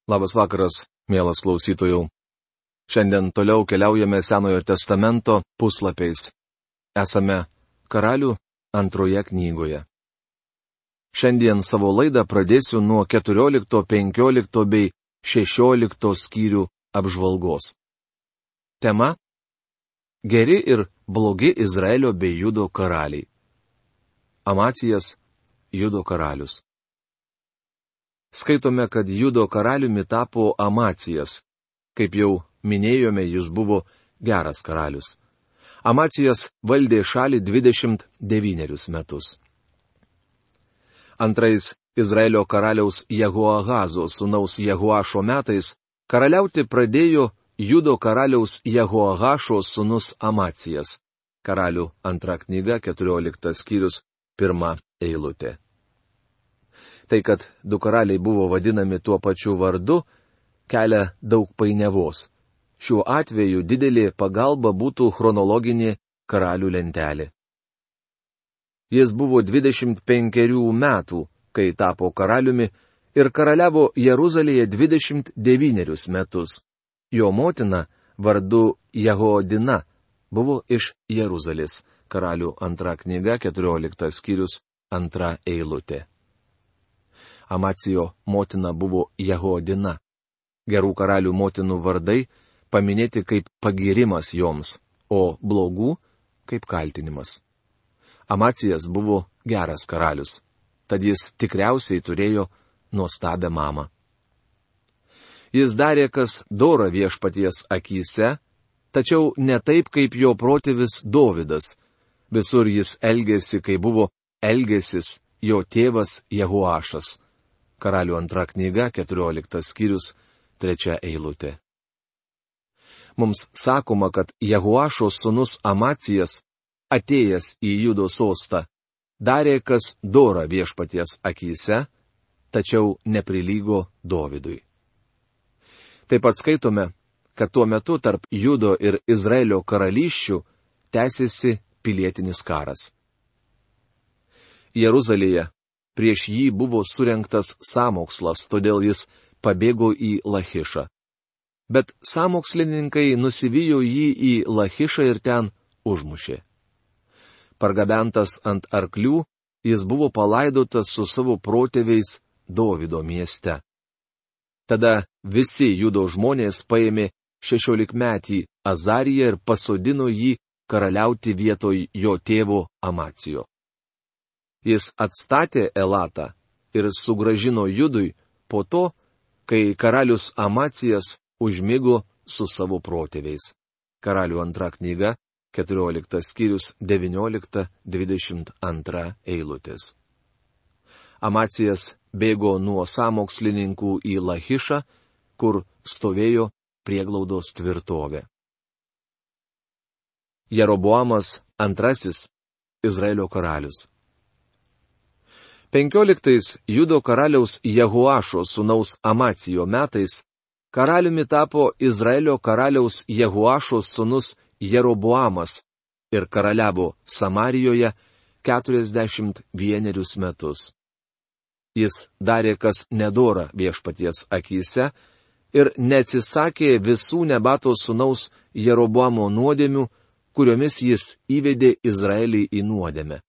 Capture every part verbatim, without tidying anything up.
Labas vakaras, mielas klausytojų. Šiandien toliau keliaujame Senojo testamento puslapiais. Esame Karalių antroje knygoje. Šiandien savo laidą pradėsiu nuo keturiolikto, penkiolikto bei šešiolikto skyrių apžvalgos. Tema - Geri ir blogi Izraelio bei Judo karaliai. Amacijas - Judo karalius. Skaitome, kad Judo karaliumi tapo Amacijas. Kaip jau minėjome, jis buvo geras karalius. Amacijas valdė šalį dvidešimt devynerius metus. Antrais Izraelio karaliaus Jehoahazo sūnaus Jehoašo metais karaliauti pradėjo Judo karaliaus Jehoahašo sūnus Amacijas. Karalių antra knyga, keturioliktas skyrius, pirma eilutė. Tai, kad du karaliai buvo vadinami tuo pačiu vardu, kelia daug painiavos. Šiuo atveju didelė pagalba būtų chronologinė karalių lentelė. Jis buvo dvidešimt penkerių metų, kai tapo karaliumi, ir karaliavo Jeruzalėje dvidešimt devynerius metus. Jo motina, vardu Jehoadina, buvo iš Jeruzalės. Karalių antra knyga, keturioliktas skyrius, antra eilutė. Amacijo motina buvo Jehoadina. Gerų karalių motinų vardai paminėti kaip pagirimas joms, o blogų kaip kaltinimas. Amacijas buvo geras karalius, tad jis tikriausiai turėjo nuostabią mamą. Jis darė, kas dora viešpaties akyse, tačiau ne taip, kaip jo protėvis Dovydas. Visur jis elgėsi, kai buvo elgėsis jo tėvas Jehoašas. Karalių antra knyga, keturioliktas skyrius, trečia eilutė. Mums sakoma, kad Jehoašo sūnus Amacijas, atėjęs į Judo sostą, darė, kas dora viešpaties akyse, tačiau neprilygo Dovydui. Taip pat skaitome, kad tuo metu tarp Judo ir Izraelio karalysčių tęsėsi pilietinis karas. Jeruzalėje prieš jį buvo surengtas sąmokslas, todėl jis pabėgo į Lachišą. Bet sąmokslininkai nusivijo jį į Lachišą ir ten užmušė. Pargabentas ant arklių, jis buvo palaidotas su savo protėviais Dovydo mieste. Tada visi Judo žmonės paėmė šešiolikmetį Azariją ir pasodino jį karaliauti vietoj jo tėvo Amacijo. Jis atstatė Elatą ir sugrąžino Judui po to, kai karalius Amacijas užmigo su savo protėviais. Karalių antra knyga, keturioliktas skyrius, devyniolikta dvidešimt antra eilutės. Amacijas bėgo nuo sąmokslininkų į Lachišą, kur stovėjo prieglaudos tvirtovė. Jeroboamas antrasis Izraelio karalius. Penkioliktais Judo karaliaus Jehoašo sūnaus Amacijo metais karaliumi tapo Izraelio karaliaus Jehoašo sūnus Jeroboamas ir karaliavo Samarijoje keturiasdešimt vienerius metus. Jis darė, kas nedora viešpaties akyse ir neatsisakė visų Nebato sūnaus Jeroboamo nuodėmių, kuriomis jis įvedė Izraelį į nuodėmę.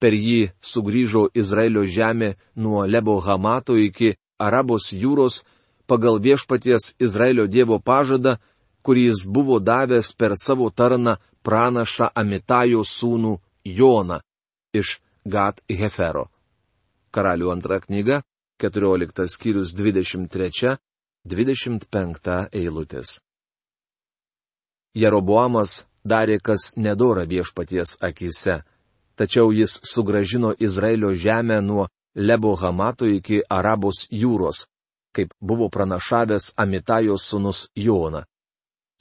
Per jį sugrįžo Izraelio žemė nuo Lebo Hamato iki Arabos jūros pagal viešpaties Izraelio Dievo pažadą, kurį jis buvo davęs per savo tarną pranašą Amitajo sūnų Joną iš Gat Hefero. Karalių antra knyga, keturioliktas skyrius, dvidešimt trečia, dvidešimt penkta eilutės. Jeroboamas darė, kas nedora viešpaties akyse, tačiau jis sugrąžino Izraelio žemę nuo Lebo Hamato iki Arabos jūros, kaip buvo pranašavęs Amitajo sūnus Jona.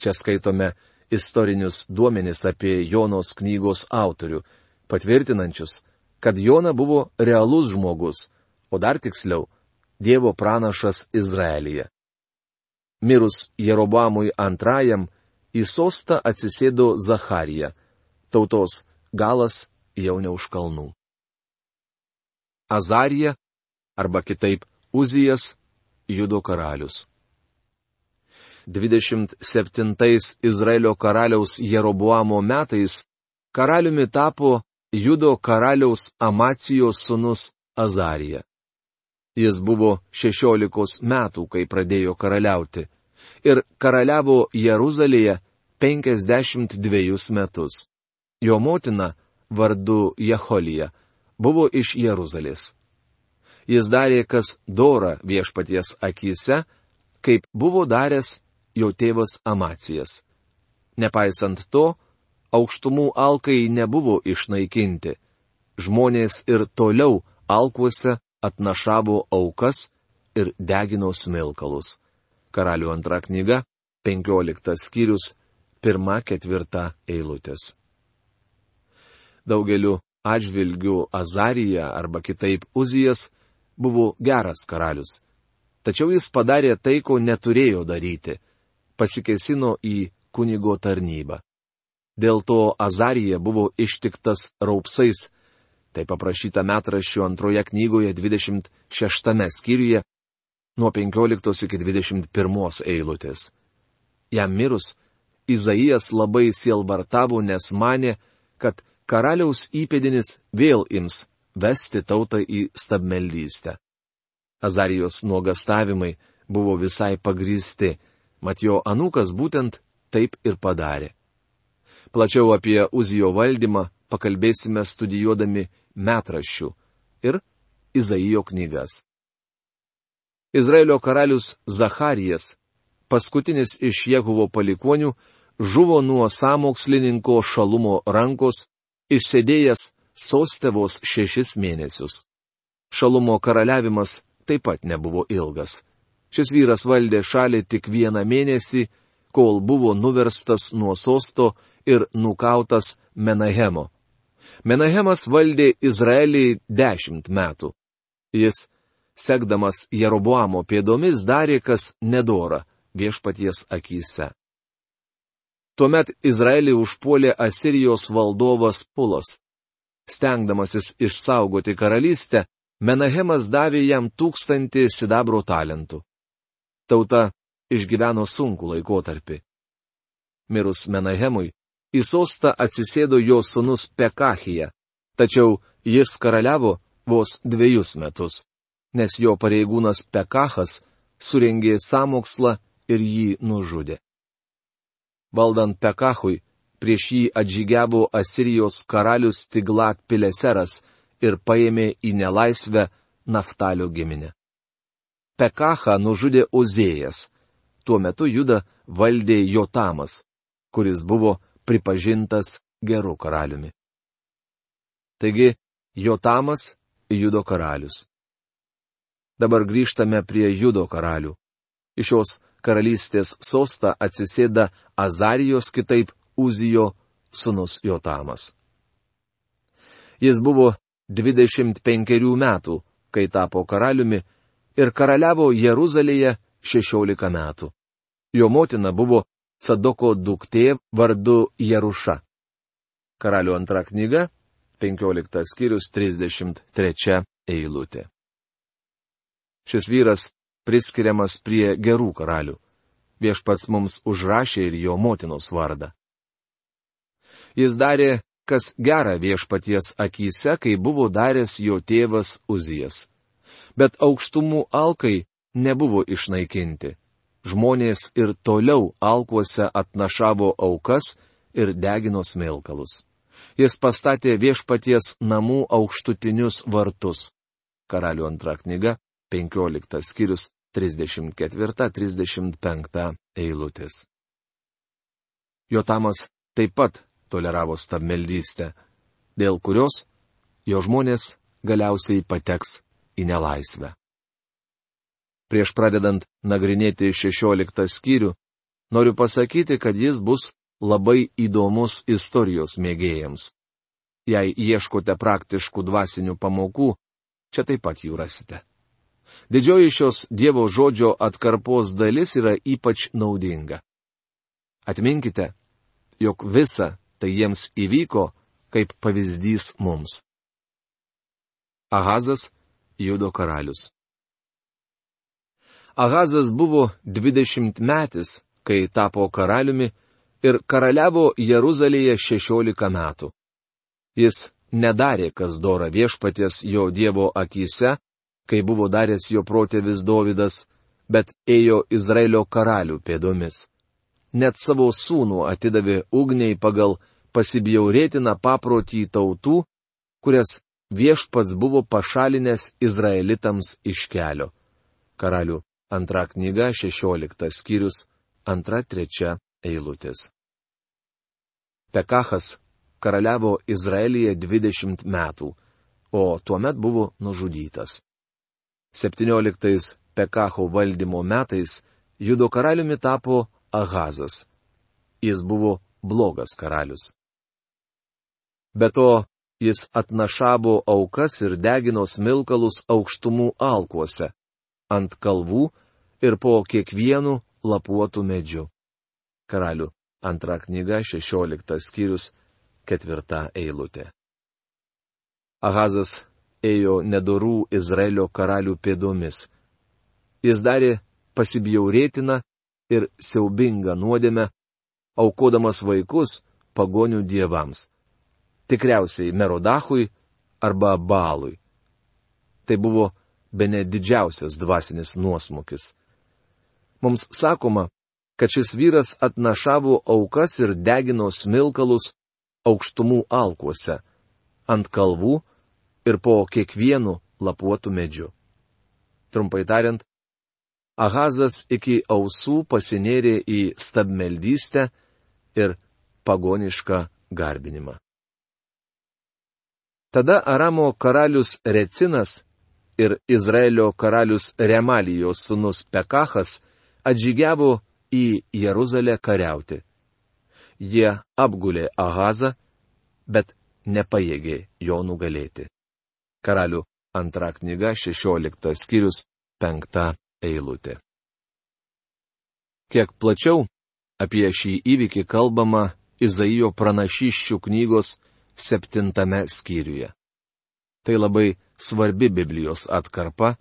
Čia skaitome istorinius duomenis apie Jonos knygos autorių, patvirtinančius, kad Jona buvo realus žmogus, o dar tiksliau, Dievo pranašas Izraelyje. Mirus Jeroboamui antrajam, į sostą atsisėdo Zacharija, tautos galas jau ne už kalnų. Azarija, arba kitaip Uzijas, Judo karalius. dvidešimt septintais Izraelio karaliaus Jeroboamo metais karaliumi tapo Judo karaliaus Amacijos sūnus Azarija. Jis buvo šešiolikos metų, kai pradėjo karaliauti, ir karaliavo Jeruzalėje penkiasdešimt dviejus metus. Jo motina, vardu Jecholija, buvo iš Jeruzalės. Jis darė, kas dora viešpaties akyse, kaip buvo daręs jo tėvas Amacijas. Nepaisant to, aukštumų alkai nebuvo išnaikinti. Žmonės ir toliau alkuose atnašavo aukas ir degino smilkalus. Karalių antra knyga, penkioliktas skyrius, pirma ketvirta eilutės. Daugeliu atžvilgių Azarija arba kitaip Uzijas buvo geras karalius. Tačiau jis padarė tai, ko neturėjo daryti. Pasikėsino į kunigo tarnybą. Dėl to Azarija buvo ištiktas raupsais. Tai paprašyta metraščių antroje knygoje dvidešimt šeštame skyriuje nuo penkioliktos iki dvidešimt pirmos eilutės. Jam mirus, Izaijas labai sielvartavo, nes manė, kad karaliaus įpėdinis vėl ims vesti tautą į stabmeldystę. Azarijos nuogastavimai buvo visai pagrįsti, mat jo anūkas būtent taip ir padarė. Plačiau apie Uzijo valdymą pakalbėsime studijuodami metraščių ir Izaijo knygas. Izraelio karalius Zacharijas, paskutinis iš Jehuvo palikuonių, žuvo nuo sąmokslininko Šalumo rankos, išsėdėjęs soste vos šešis mėnesius. Šalumo karaliavimas taip pat nebuvo ilgas. Šis vyras valdė šalį tik vieną mėnesį, kol buvo nuverstas nuo sosto ir nukautas Menahemo. Menahemas valdė Izraelį dešimt metų. Jis, sekdamas Jeroboamo pėdomis, darė, kas nedora viešpaties akyse. Tuomet Izraelį užpuolė Asirijos valdovas Pulas. Stengdamasis išsaugoti karalystę, Menahemas davė jam tūkstantį sidabro talentų. Tauta išgyveno sunkų laikotarpį. Mirus Menahemui, į sostą atsisėdo jo sūnus Pekachija, tačiau jis karaliavo vos dviejus metus, nes jo pareigūnas Pekachas surengė sąmokslą ir jį nužudė. Valdant Pekachui, prieš jį atžygiavo Asirijos karalius Tiglat Pileseras ir paėmė į nelaisvę Naftalio giminę. Pekachą nužudė Ozėjas. Tuo metu Judą valdė Jotamas, kuris buvo pripažintas geru karaliumi. Taigi, Jotamas Judo karalius. Dabar grįžtame prie Judo karalių. Iš šios karalystės sostą atsisėda Azarijos, kitaip Uzijo sūnus Jotamas. Jis buvo dvidešimt penkerių metų, kai tapo karaliumi, ir karaliavo Jeruzalėje šešiolika metų. Jo motina buvo Sadoko duktė vardu Jeruša. Karalių antra knyga, penkioliktas skyrius, trisdešimt trečia eilutė. Šis vyras priskiriamas prie gerų karalių. Viešpats mums užrašė ir jo motinos vardą. Jis darė, kas gera viešpaties akyse, kai buvo daręs jo tėvas Uzijas. Bet aukštumų alkai nebuvo išnaikinti. Žmonės ir toliau alkuose atnašavo aukas ir degino smilkalus. Jis pastatė viešpaties namų aukštutinius vartus. Karalių antra knyga, penkioliktas skyrius, trisdešimt ketvirta trisdešimt penkta eilutės. Jotamas taip pat toleravo stabmeldystę, dėl kurios jo žmonės galiausiai pateks į nelaisvę. Prieš pradedant nagrinėti šešioliktą skyrių, noriu pasakyti, kad jis bus labai įdomus istorijos mėgėjams. Jei ieškote praktiškų dvasinių pamokų, čia taip pat jų rasite. Didžioji šios Dievo žodžio atkarpos dalis yra ypač naudinga. Atminkite, jog visa tai jiems įvyko kaip pavyzdys mums. Ahazas, Judo karalius. Ahazas buvo dvidešimtmetis, kai tapo karaliumi ir karaliavo Jeruzalėje šešiolika metų. Jis nedarė, kas dora viešpaties jo Dievo akyse, kai buvo daręs jo protėvis Dovydas, bet ėjo Izraelio karalių pėdomis. Net savo sūnų atidavė ugniai pagal pasibjaurėtiną paprotį tautų, kurias viešpats buvo pašalinęs izraelitams iš kelio. Karalių antra knyga, šešioliktas skyrius, antra trečia eilutės. Pekachas karaliavo Izraelyje dvidešimt metų, o tuomet buvo nužudytas. septynioliktais Pekacho valdymo metais Judo karaliumi tapo Ahazas. Jis buvo blogas karalius. Be to, jis atnašavo aukas ir degino smilkalus aukštumų alkuose, ant kalvų ir po kiekvienu lapuotų medžiu. Karalių antra knyga, šešioliktas skyrius, ketvirta eilutė. Ahazas ėjo nedorų Izraelio karalių pėdomis. Jis darė pasibjaurėtiną ir siaubingą nuodėmę, aukodamas vaikus pagonių dievams. Tikriausiai Merodachui arba Baalui. Tai buvo bene didžiausias dvasinis nuosmukis. Mums sakoma, kad šis vyras atnašavo aukas ir degino smilkalus aukštumų alkuose, ant kalvų ir po kiekvienu lapuotų medžiu. Trumpai tariant, Ahazas iki ausų pasinėrė į stabmeldystę ir pagonišką garbinimą. Tada Aramo karalius Recinas ir Izraelio karalius Remalijos sūnus Pekachas atžygiavo į Jeruzalę kariauti. Jie apgulė Ahazą, bet nepajėgė jo nugalėti. Karalių antra knyga, šešioliktas skyrius, penkta eilutė. Kiek plačiau apie šį įvykį kalbama Izaijo pranašysčių knygos septintame skyriuje. Tai labai svarbi Biblijos atkarpa,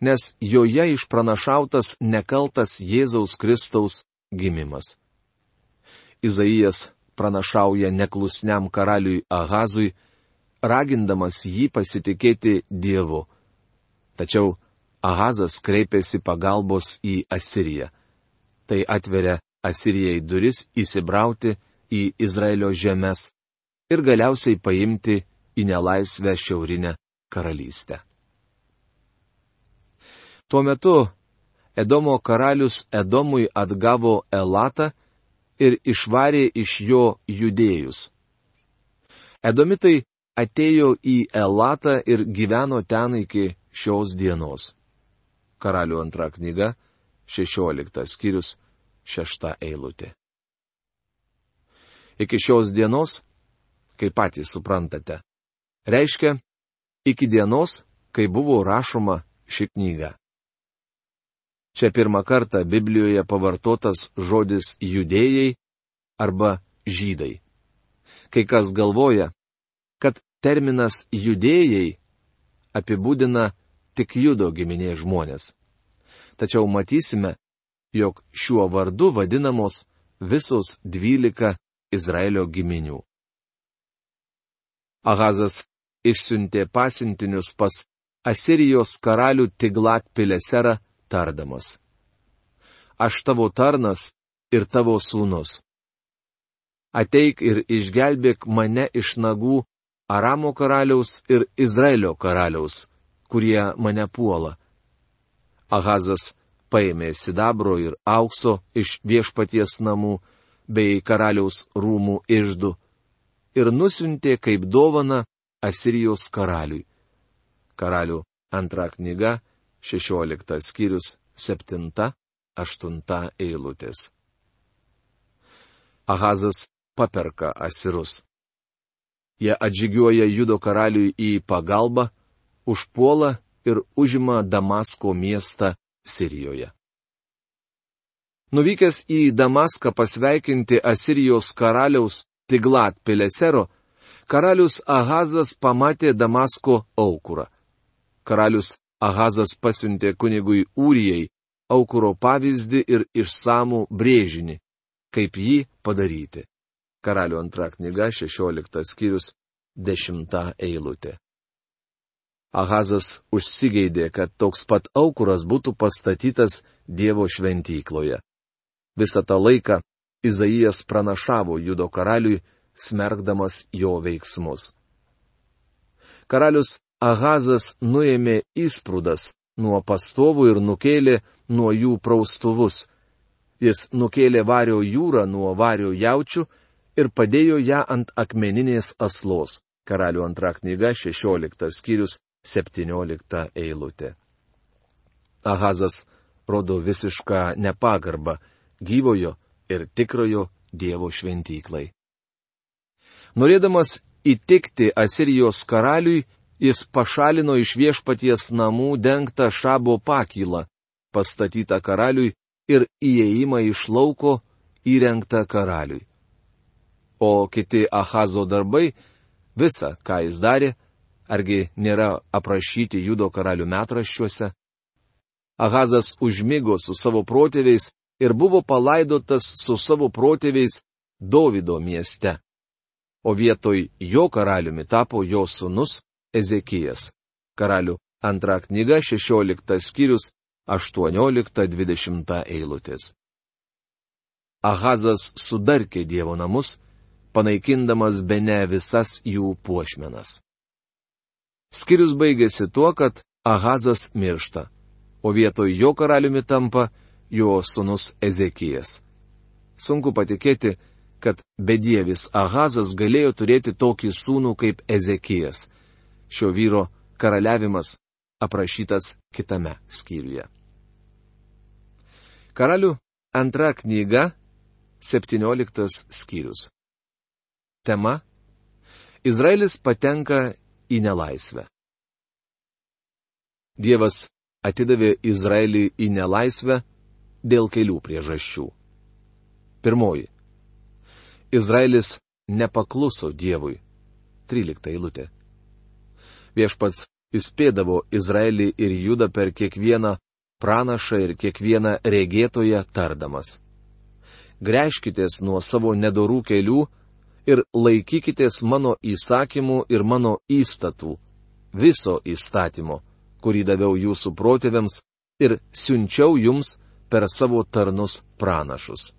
nes joje išpranašautas nekaltas Jėzaus Kristaus gimimas. Izaijas pranašauja neklusniam karaliui Ahazui, ragindamas jį pasitikėti Dievu. Tačiau Ahazas kreipėsi pagalbos į Asiriją. Tai atveria Asirijai duris įsibrauti į Izraelio žemes ir galiausiai paimti į nelaisvę šiaurinę karalystę. Tuo metu Edomo karalius Edomui atgavo Elatą ir išvarė iš jo judėjus. Edomitai atėjo į Elatą ir gyveno ten iki šios dienos. Karalių antra knyga, šešioliktas skyrius, šešta eilutė. Iki šios dienos, kaip patys suprantate, reiškia iki dienos, kai buvo rašoma ši knyga. Čia pirmą kartą Biblijoje pavartotas žodis judėjai arba žydai. Kai kas galvoja, kad terminas judėjai apibūdina tik Judo giminės žmonės. Tačiau matysime, jog šiuo vardu vadinamos visos dvylika Izraelio giminių. Ahazas išsiuntė pasiuntinius pas Asirijos karalių Tiglat Pileserą, tardamas: Aš tavo tarnas ir tavo sūnus. Ateik ir išgelbėk mane iš nagų Aramo karaliaus ir Izraelio karaliaus, kurie mane puola. Ahazas paėmė sidabro ir aukso iš viešpaties namų bei karaliaus rūmų iždų ir nusiuntė kaip dovaną Asirijos karaliui. Karalių antra knyga, šešioliktas skyrius, septinta, aštunta eilutės. Ahazas paperka asirus. Jie atžygiuoja Judo karaliui į pagalbą, užpuola ir užima Damasko miestą Sirijoje. Nuvykęs į Damaską pasveikinti Asirijos karaliaus Tiglat Pilesero, karalius Ahazas pamatė Damasko aukurą. Karalius Ahazas pasiuntė kunigui Ūrijai aukuro pavyzdį ir išsamų brėžinį, kaip jį padaryti. Karalių antra knyga, šešioliktas skyrius, dešimta eilutė. Ahazas užsigeidė, kad toks pat aukuras būtų pastatytas Dievo šventykloje. Visą tą laiką Izaijas pranašavo Judo karaliui, smerkdamas jo veiksmus. Karalius Ahazas nuėmė įsprūdas nuo pastovų ir nukėlė nuo jų praustuvus. Jis nukėlė vario jūrą nuo vario jaučių ir padėjo ją ant akmeninės aslos. Karalių antra knyga, šešioliktas skyrius, septyniolikta eilutė. Ahazas rodo visišką nepagarbą gyvojo ir tikrojo Dievo šventyklai. Norėdamas įtikti Asirijos karaliui, jis pašalino iš viešpaties namų dengtą šabo pakylą, pastatytą karaliui, ir įėjimą iš lauko įrengtą karaliui. O kiti Ahazo darbai, visa, ką jis darė, argi nėra aprašyti Judo karalių metraščiuose? Ahazas užmigo su savo protėviais ir buvo palaidotas su savo protėviais Dovido mieste. O vietoj jo karaliumi tapo jo sūnus Ezekijas. Karalių antra knyga, šešioliktas skyrius, aštuoniolikta dvidešimta eilutės. Ahazas sudarkė Dievo namus, panaikindamas bene visas jų puošmenas. Skyrius baigėsi tuo, kad Ahazas miršta, o vietoj jo karaliumi tampa jo sūnus Ezekijas. Sunku patikėti, kad bedievis Ahazas galėjo turėti tokį sūnų kaip Ezekijas. Šio vyro karaliavimas aprašytas kitame skyriuje. Karalių antra knyga, septynioliktas skyrius. Tema: Izraelis patenka į nelaisvę. Dievas atidavė Izraelį į nelaisvę dėl kelių priežasčių. Pirmoji. Izraelis nepakluso Dievui. trylikta eilutė. Viešpats įspėdavo Izraelį ir Judą per kiekvieną pranašą ir kiekvieną regėtoją tardamas: Gręžkitės nuo savo nedorų kelių ir laikykitės mano įsakymų ir mano įstatų, viso įstatymo, kurį daviau jūsų protėviams ir siunčiau jums per savo tarnus pranašus.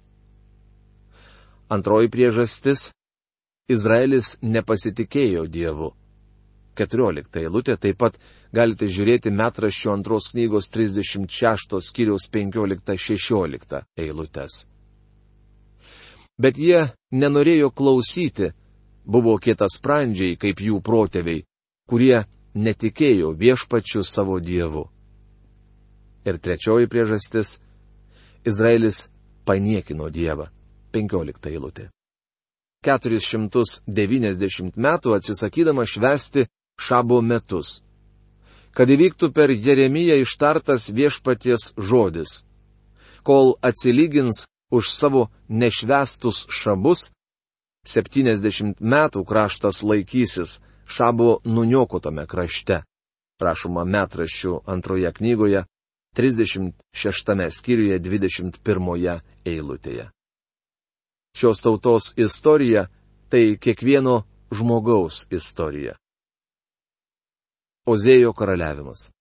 Antroji priežastis - Izraelis nepasitikėjo Dievu. keturiolikta eilutė, taip pat galite žiūrėti metraščio antros knygos trisdešimt šešto skyriaus penkiolikta šešiolikta eilutės. Bet jie nenorėjo klausyti, buvo kietasprandžiai kaip jų protėviai, kurie netikėjo viešpačiu savo Dievu. Ir trečioji priežastis - Izraelis paniekino Dievą. penkiolikta eilutė. keturis šimtus devyniasdešimt metų atsisakydama švęsti šabo metus. Kad įvyktų per Jeremiją ištartas viešpaties žodis: Kol atsilygins už savo nešvęstus šabus, septyniasdešimt metų kraštas laikysis šabo nuniokotame krašte. Rašoma metraščių antroje knygoje, trisdešimt šeštame skyriuje, dvidešimt pirmoje eilutėje. Šios tautos istorija - tai kiekvieno žmogaus istorija. Ozėjo karaliavimas.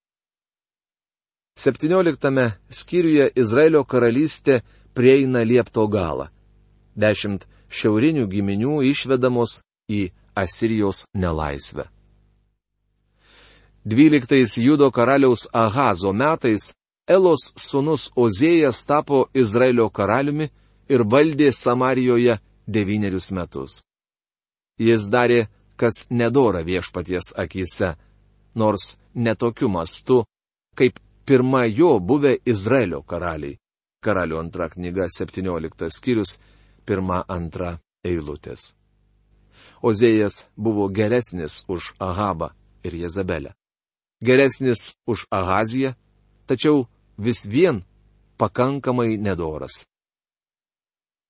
septynioliktame skyriuje Izraelio karalystė prieina liepto galą. Dešimt šiaurinių giminių išvedamos į Asirijos nelaisvę. Dvyliktais Judo karaliaus Ahazo metais Elos sūnus Ozėjas tapo Izraelio karaliumi ir valdė Samarijoje devynerius metus. Jis darė, kas nedora viešpaties akyse, nors netokiu mastu, kaip pirma jo buvę Izraelio karaliai. Karalių antra knyga, septynioliktas skyrius, pirma antra eilutės. Ozėjas buvo geresnis už Ahabą ir Jezabelę. Geresnis už Ahaziją, tačiau vis vien pakankamai nedoras.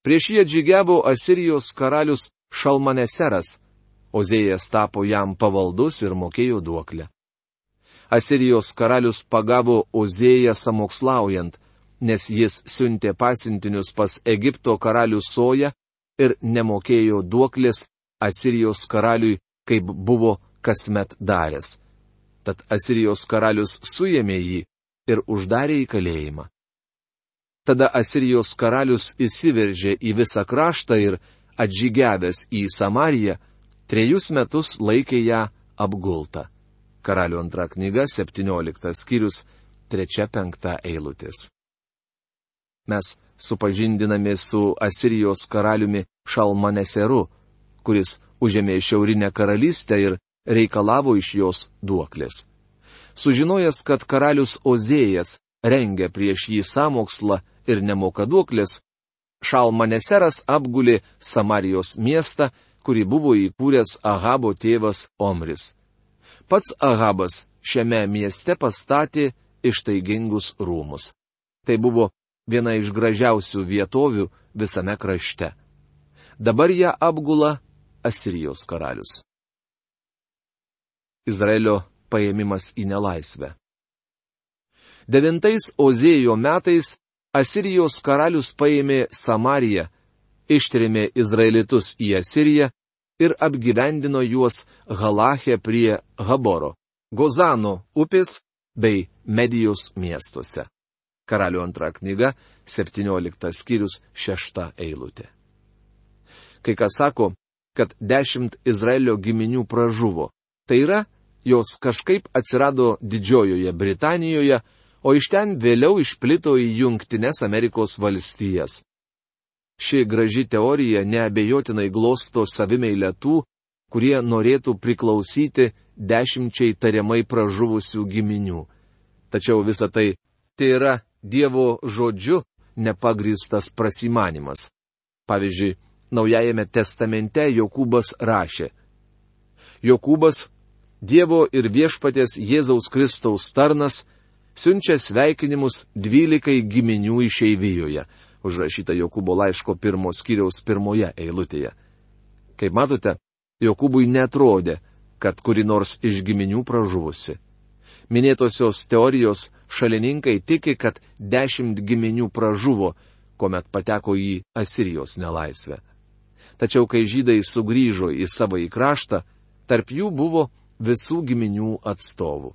Prieš jį atžygiavo Asirijos karalius Šalmaneseras, Ozėjas tapo jam pavaldus ir mokėjo duoklę. Asirijos karalius pagavo Ozėją samokslaujant, nes jis siuntė pasiuntinius pas Egipto karalių Soją ir nemokėjo duoklės Asirijos karaliui, kaip buvo kasmet daręs. Tad Asirijos karalius suėmė jį ir uždarė į kalėjimą. Tada Asirijos karalius įsiveržė į visą kraštą ir, atžygiavęs į Samariją, trejus metus laikė ją apgultą. Karalių antra knyga, septynioliktas skyrius, trečia penkta eilutės. Mes supažindiname su Asirijos karaliumi Šalmaneseru, kuris užėmė šiaurinę karalystę ir reikalavo iš jos duoklės. Sužinojęs, kad karalius Ozėjas rengia prieš jį sąmokslą ir nemoka duoklės, Šalmaneseras apgulė Samarijos miestą, kurį buvo įkūręs Ahabo tėvas Omris. Pats Ahabas šiame mieste pastatė ištaigingus rūmus. Tai buvo viena iš gražiausių vietovių visame krašte. Dabar ją apgula Asirijos karalius. Izraelio paėmimas į nelaisvę. Devintais Ozėjo metais Asirijos karalius paėmė Samariją, ištrėmė izraelitus į Asiriją ir apgyvendino juos Halache prie Haboro, Gozano upės bei Medijos miestuose. Karalių antra knyga, septynioliktas skyrius, šešta eilutė. Kai kas sako, kad dešimt Izraelio giminių pražuvo. Tai yra, jos kažkaip atsirado Didžiojoje Britanijoje, o iš ten vėliau išplito į Jungtines Amerikos valstijas. Ši graži teorija neabejotinai glosto savimeilę tų, kurie norėtų priklausyti dešimčiai tariamai pražuvusių giminių. Tačiau visa tai tai yra Dievo žodžiu nepagrįstas prasimanimas. Pavyzdžiui, Naujajame testamente Jokūbas rašė: Jokūbas, Dievo ir viešpaties Jėzaus Kristaus tarnas, siunčia sveikinimus dvylikai giminių išeivijoje, užrašyta Jokūbo laiško pirmo skyriaus pirmoje eilutėje. Kaip matote, Jokūbui netrodė, kad kuri nors iš giminių pražuvusi. Minėtosios teorijos šalininkai tiki, kad dešimt giminių pražuvo, kuomet pateko į Asirijos nelaisvę. Tačiau kai žydai sugrįžo į savąjį kraštą, tarp jų buvo visų giminių atstovų.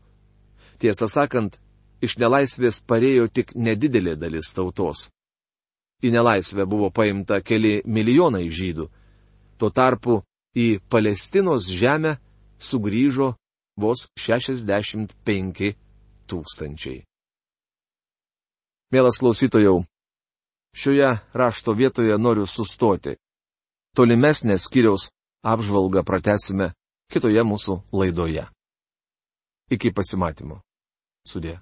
Tiesą sakant, iš nelaisvės parėjo tik nedidelė dalis tautos. Į nelaisvę buvo paimta keli milijonai žydų. Tuo tarpu į Palestinos žemę sugrįžo vos šešiasdešimt penki tūkstančiai. Mielas klausytojau, šioje rašto vietoje noriu sustoti. Tolimesnę skyriaus apžvalgą pratęsime kitoje mūsų laidoje. Iki pasimatymo. Sudie.